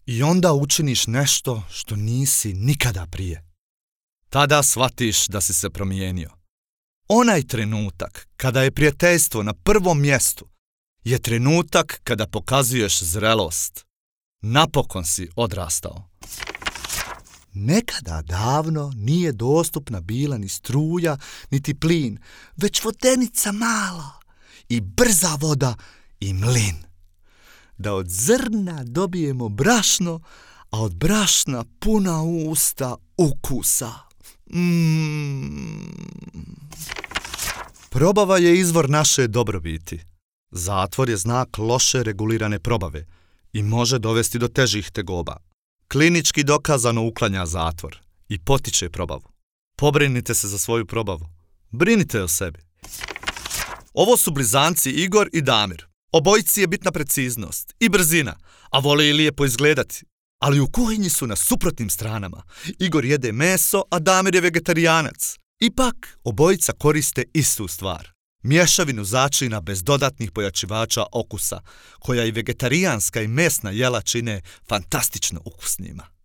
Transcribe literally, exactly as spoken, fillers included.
I onda učiniš nešto što nisi nikada prije. Tada shvatiš da si se promijenio. Onaj trenutak kada je prijateljstvo na prvom mjestu je trenutak kada pokazuješ zrelost. Napokon si odrastao. Nekada davno nije dostupna bila ni struja, niti plin, već vodenica mala i brza voda i mlin. Da od zrna dobijemo brašno, a od brašna puna usta ukusa. Mm. Probava je izvor naše dobrobiti. Zatvor je znak loše regulirane probave i može dovesti do težih tegoba. Klinički dokazano uklanja zatvor i potiče probavu. Pobrinite se za svoju probavu. Brinite o sebi. Ovo su blizanci Igor i Damir. Obojici je bitna preciznost i brzina, a vole i lijepo izgledati. Ali u kuhinji su na suprotnim stranama. Igor jede meso, a Damir je vegetarijanac. Ipak, obojica koriste istu stvar. Mješavinu začina bez dodatnih pojačivača okusa, koja i vegetarijanska i mesna jela čine fantastično ukusnima.